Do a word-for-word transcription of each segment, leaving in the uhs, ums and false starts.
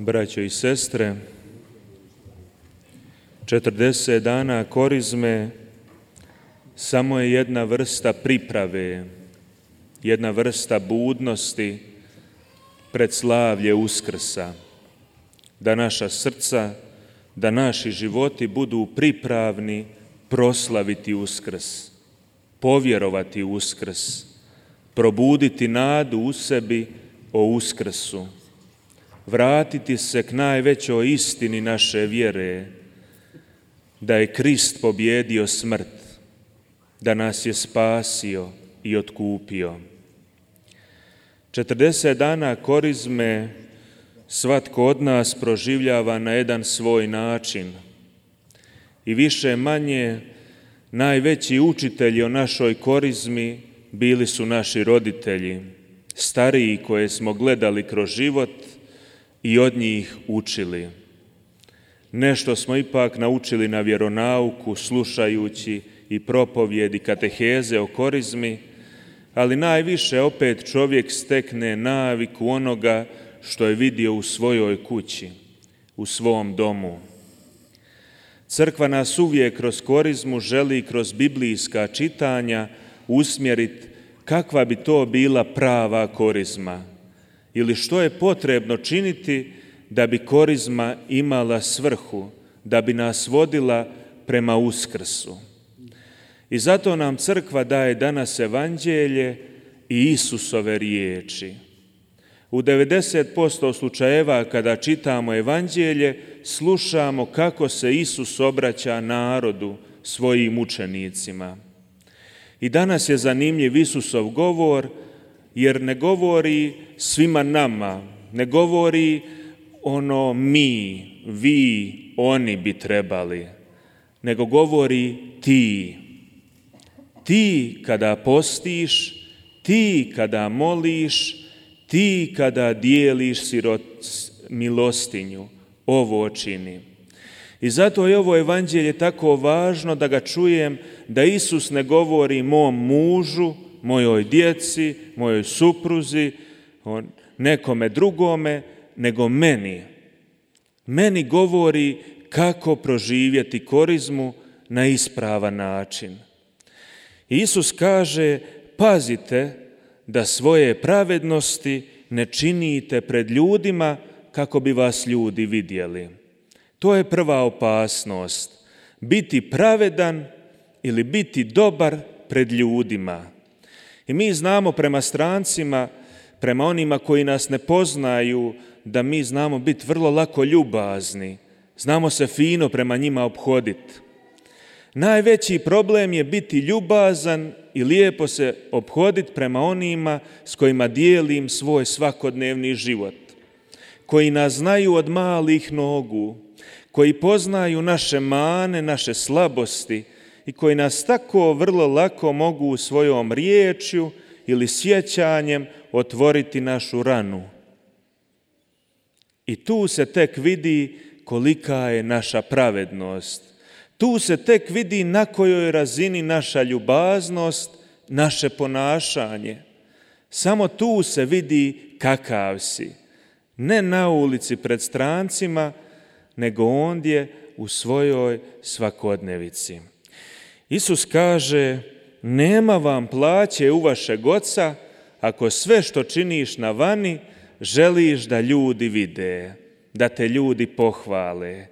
Braćo i sestre, četrdeset dana korizme samo je jedna vrsta priprave, jedna vrsta budnosti pred slavlje Uskrsa, da naša srca, da naši životi budu pripravni proslaviti Uskrs, povjerovati u Uskrs, probuditi nadu u sebi o Uskrsu, vratiti se k najvećoj istini naše vjere, da je Krist pobjedio smrt, da nas je spasio i otkupio. četrdeset dana korizme svatko od nas proživljava na jedan svoj način i više manje najveći učitelji o našoj korizmi bili su naši roditelji, stariji koje smo gledali kroz život i od njih učili. Nešto smo ipak naučili na vjeronauku, slušajući i propovjedi kateheze o korizmi, ali najviše opet čovjek stekne naviku onoga što je vidio u svojoj kući, u svom domu. Crkva nas uvijek kroz korizmu želi kroz biblijska čitanja usmjeriti kakva bi to bila prava korizma ili što je potrebno činiti da bi korizma imala svrhu, da bi nas vodila prema Uskrsu. I zato nam crkva daje danas evanđelje i Isusove riječi. U devedeset posto slučajeva kada čitamo evanđelje, slušamo kako se Isus obraća narodu, svojim učenicima. I danas je zanimljiv Isusov govor, jer ne govori svima nama, ne govori ono mi, vi, oni bi trebali, nego govori ti. Ti kada postiš, ti kada moliš, ti kada dijeliš sirot, milostinju, ovo čini. I zato je ovo evanđelje tako važno da ga čujem, da Isus ne govori mom mužu, mojoj djeci, mojoj supruzi, nekome drugome, nego meni. Meni govori kako proživjeti korizmu na ispravan način. Isus kaže, pazite da svoje pravednosti ne činite pred ljudima kako bi vas ljudi vidjeli. To je prva opasnost. Biti pravedan ili biti dobar pred ljudima. I mi znamo prema strancima, prema onima koji nas ne poznaju, da mi znamo biti vrlo lako ljubazni. Znamo se fino prema njima ophoditi. Najveći problem je biti ljubazan i lijepo se ophoditi prema onima s kojima dijelim svoj svakodnevni život, koji nas znaju od malih nogu, koji poznaju naše mane, naše slabosti i koji nas tako vrlo lako mogu svojom riječju ili sjećanjem otvoriti našu ranu. I tu se tek vidi kolika je naša pravednost. Tu se tek vidi na kojoj razini naša ljubaznost, naše ponašanje. Samo tu se vidi kakav si. Ne na ulici pred strancima, nego ondje u svojoj svakodnevici. Isus kaže, nema vam plaće u vašeg Oca ako sve što činiš na vani želiš da ljudi vide, da te ljudi pohvale.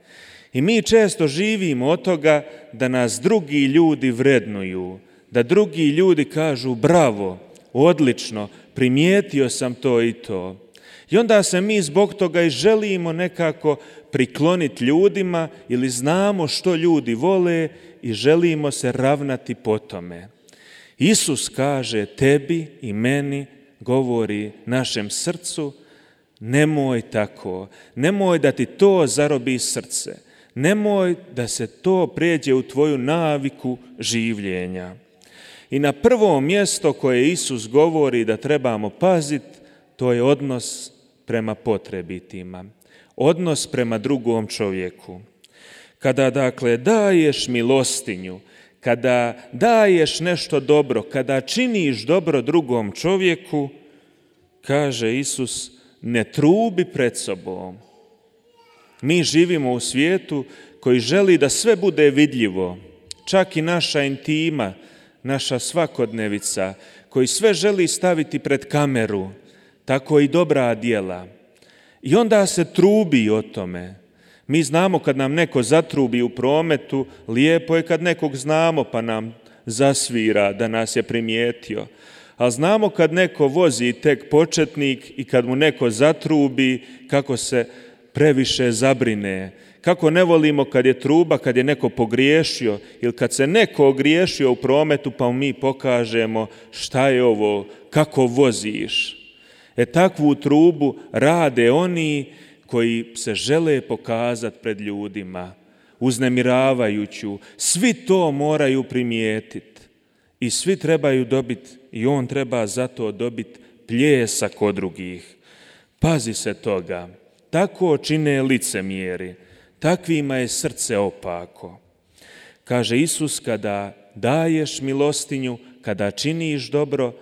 I mi često živimo od toga da nas drugi ljudi vrednuju, da drugi ljudi kažu bravo, odlično, primijetio sam to i to. I onda se mi zbog toga i želimo nekako prikloniti ljudima ili znamo što ljudi vole i želimo se ravnati po tome. Isus kaže tebi i meni, govori našem srcu, nemoj tako, nemoj da ti to zarobi srce. Nemoj da se to prijeđe u tvoju naviku življenja. I na prvo mjesto koje Isus govori da trebamo paziti, to je odnos prema potrebitima. Odnos prema drugom čovjeku. Kada dakle daješ milostinju, kada daješ nešto dobro, kada činiš dobro drugom čovjeku, kaže Isus, ne trubi pred sobom, Mi živimo u svijetu koji želi da sve bude vidljivo, čak i naša intima, naša svakodnevica, koji sve želi staviti pred kameru, tako i dobra djela. I onda se trubi o tome. Mi znamo kad nam neko zatrubi u prometu, lijepo je kad nekog znamo pa nam zasvira da nas je primijetio. Ali znamo kad neko vozi tek početnik i kad mu neko zatrubi, kako se previše zabrine. Kako ne volimo kad je truba, kad je neko pogriješio ili kad se neko ogriješio u prometu pa mi pokažemo šta je ovo, kako voziš. E takvu trubu rade oni koji se žele pokazati pred ljudima, uznemiravajuću. Svi to moraju primijetiti i svi trebaju dobiti, i on treba zato dobiti pljesak od drugih. Pazi se toga, tako čine licemjeri, takvima je srce opako. Kaže Isus, kada daješ milostinju, kada činiš dobro,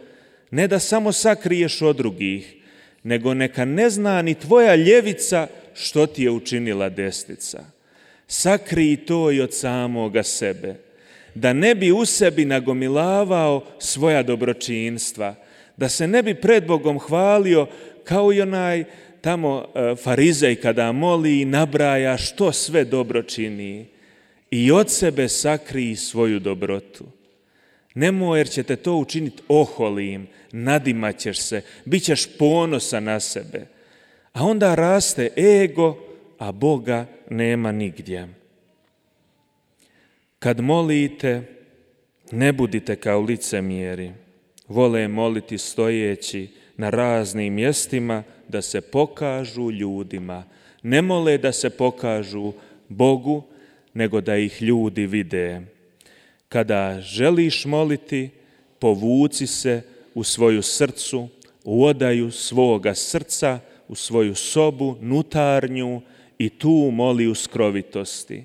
ne da samo sakriješ od drugih, nego neka ne zna ni tvoja ljevica što ti je učinila desnica. Sakrij to i od samoga sebe, da ne bi u sebi nagomilavao svoja dobročinstva, da se ne bi pred Bogom hvalio kao i onaj tamo farizej kada moli i nabraja što sve dobro čini. I od sebe sakrij svoju dobrotu. Nemoj, jer će te to učiniti oholim, nadimaćeš se, bit ćeš ponosan na sebe. A onda raste ego, a Boga nema nigdje. Kad molite, ne budite kao licemjeri. Vole moliti stojeći na raznim mjestima da se pokažu ljudima. Ne mole da se pokažu Bogu, nego da ih ljudi vide. Kada želiš moliti, povuci se u svoju srcu, u odaju svoga srca, u svoju sobu, nutarnju i tu moli u skrovitosti.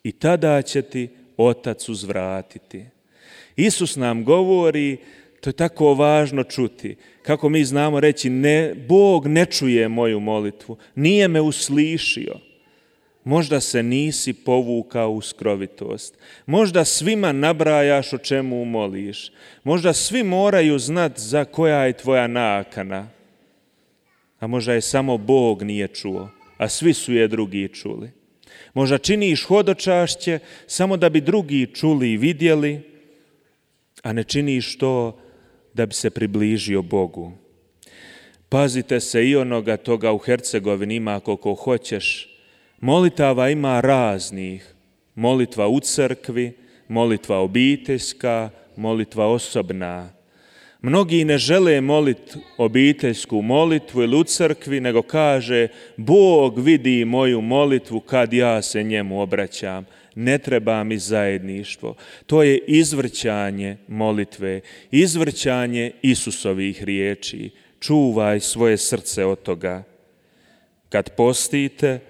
I tada će ti Otac uzvratiti. Isus nam govori, to je tako važno čuti, kako mi znamo reći, ne, Bog ne čuje moju molitvu, nije me uslišio. Možda se nisi povukao u skrovitost. Možda svima nabrajaš o čemu moliš. Možda svi moraju znati za koja je tvoja nakana. A možda je samo Bog nije čuo, a svi su je drugi čuli. Možda činiš hodočašće samo da bi drugi čuli i vidjeli, a ne činiš to da bi se približio Bogu. Pazite se i onoga toga u Hercegovini ima koliko hoćeš. Molitava ima raznih. Molitva u crkvi, molitva obiteljska, molitva osobna. Mnogi ne žele moliti obiteljsku molitvu ili u crkvi, nego kaže Bog vidi moju molitvu kad ja se njemu obraćam. Ne treba mi zajedništvo. To je izvrćanje molitve, izvrćanje Isusovih riječi. Čuvaj svoje srce od toga. Kad postite,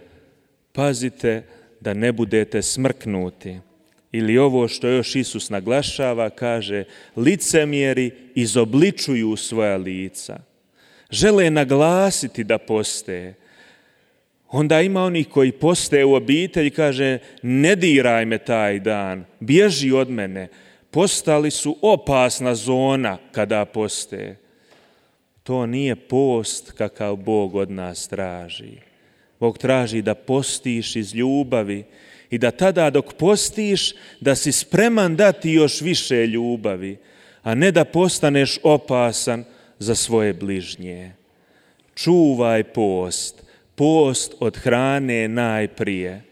pazite da ne budete smrknuti. Ili ovo što još Isus naglašava, kaže, licemjeri izobličuju svoja lica. Žele naglasiti da poste. Onda ima onih koji poste u obitelji, kaže, ne diraj me taj dan, bježi od mene. Postali su opasna zona kada poste. To nije post kakav Bog od nas traži. Bog traži da postiš iz ljubavi i da tada dok postiš da si spreman dati još više ljubavi, a ne da postaneš opasan za svoje bližnje. Čuvaj post, post od hrane najprije.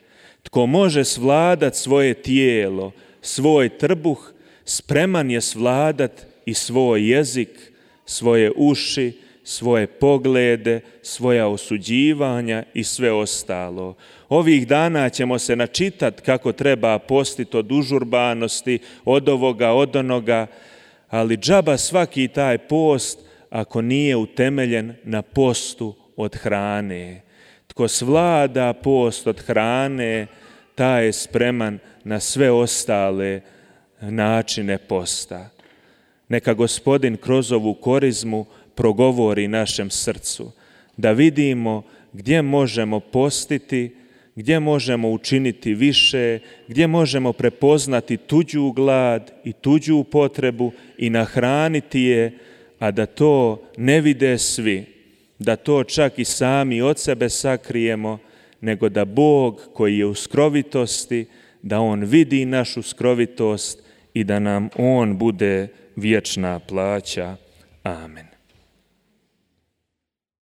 Tko može svladat svoje tijelo, svoj trbuh, spreman je svladat i svoj jezik, svoje uši, svoje poglede, svoja osuđivanja i sve ostalo. Ovih dana ćemo se načitati kako treba postiti od užurbanosti, od ovoga, od onoga, ali džaba svaki taj post ako nije utemeljen na postu od hrane. Tko svlada post od hrane, taj je spreman na sve ostale načine posta. Neka Gospodin kroz ovu korizmu progovori našem srcu, da vidimo gdje možemo postiti, gdje možemo učiniti više, gdje možemo prepoznati tuđu glad i tuđu potrebu i nahraniti je, a da to ne vide svi, da to čak i sami od sebe sakrijemo, nego da Bog koji je u skrovitosti, da On vidi našu skrovitost i da nam On bude vječna plaća. Amen.